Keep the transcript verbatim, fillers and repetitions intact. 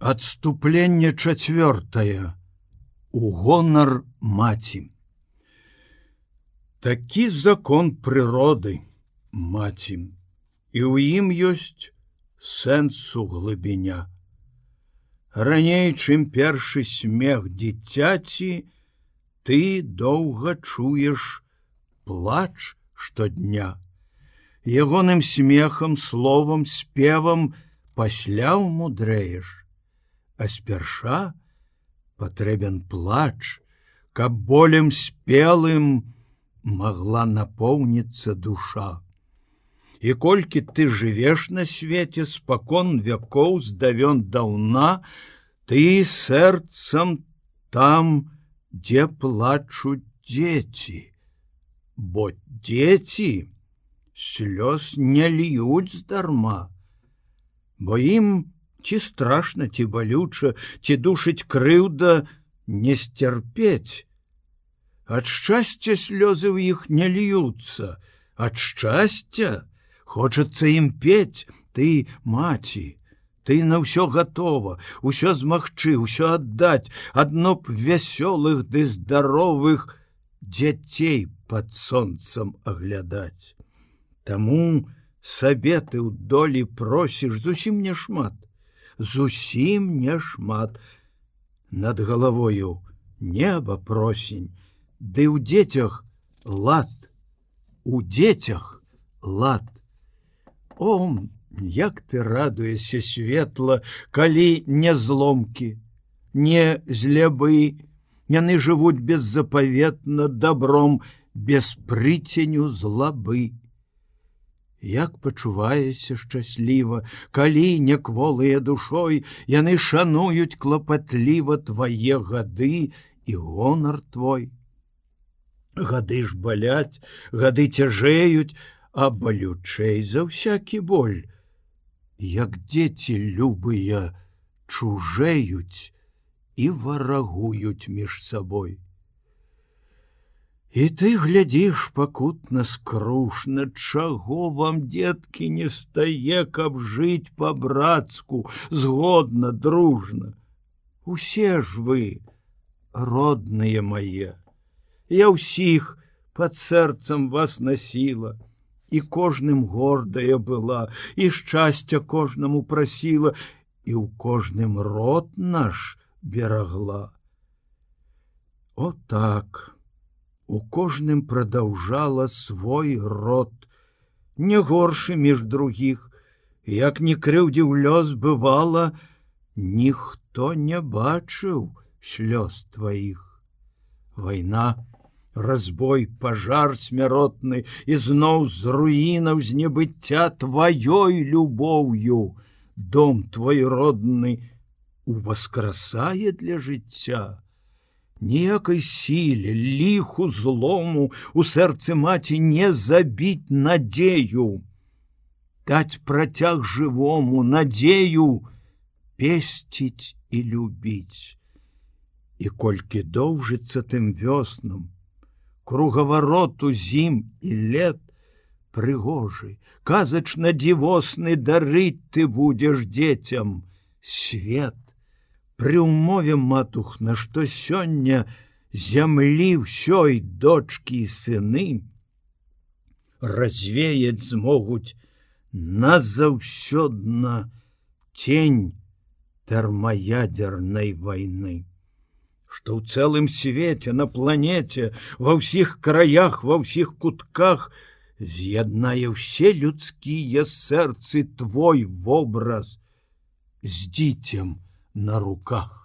Адступленне чацвёртае. У гонар маці. Такі закон прыроды, маці, і ў ім ёсць сэнсу глыбіня. Раней, чым першы смех дзіцяці, ты доўга чуеш плач штодня. Ягоным смехам, словам, спевам пасля ўмудрэеш. А спярша патрэбен плач, каб болем спелым магла напоўніцца душа. І колькі ты жывеш на свеце спакон вякоў здавён даўна, ты сэрцам там, дзе плачуць дзеці. Бо дзеці слёз не льюць здарма, бо ім ці страшна, ці балюча, ці душыць крыўда не сцярпець. Ад шчасця слёзы ў іх не льюцца, ад шчасця хочацца ім пець. Ты, маці, ты на ўсё гатова, усё змагчы, усё аддаць, адно б вясёлых ды здаровых дзяцей пад сонцам аглядаць. Таму сабе ты ў долі просіш зусім няшмат, зусім няшмат. Над галавою неба просень, ды ў дзецях лад, у дзецях лад. О, як ты радуешся светла, калі не зломкі, не злябы, яны жывуць беззапаветна добром, без прыценю злабы. Як пачуваешся шчасліва, калі некволыя душой яны шануюць клапатліва твае гады і гонар твой. Гады ж баляць, гады цяжэюць, а балючэй за ўсякі боль. Як дзеці любыя чужэюць і варагуюць між сабой. І ты глядзіш пакутна скрушна, чаго вам, дзеткі, не стае, каб жыць па-брацку, згодна, дружна. Усе ж вы, родныя мае, я ўсіх пад сэрцам вас насіла, і кожным гордая была, і шчасця кожнаму прасіла, і ў кожным род наш берагла. О так! У кожным прадаўжала свой род, не горшы між другіх, як не крыўдзіў лёс бывала, ніхто не бачыў слёз тваіх. Вайна, разбой, пажар смяротны, і зноў з руінаў з небыцця тваёй любоўю дом твой родны уваскрасае для жыцця. Ніякай сіле, ліху, злому у сэрцы маці не забіць надзею, даць працяг жывому, надзею песціць і любіць. І колькі доўжыцца тым вёснам, кругавароту зім і лет, прыгожы, казачна дзівосны дарыць ты будзеш дзецям свет. Пры ўмове, матухна, што сёння зямлі ўсёй дочкі і сыны развеяць змогуць назаўсёдна тень тэрмаядзернай вайны, што ў цэлым свеце, на планеце, ва ўсіх краях, ва ўсіх кутках з'яднае ўсе людскія сэрцы твой вобраз з дзіцем на руках.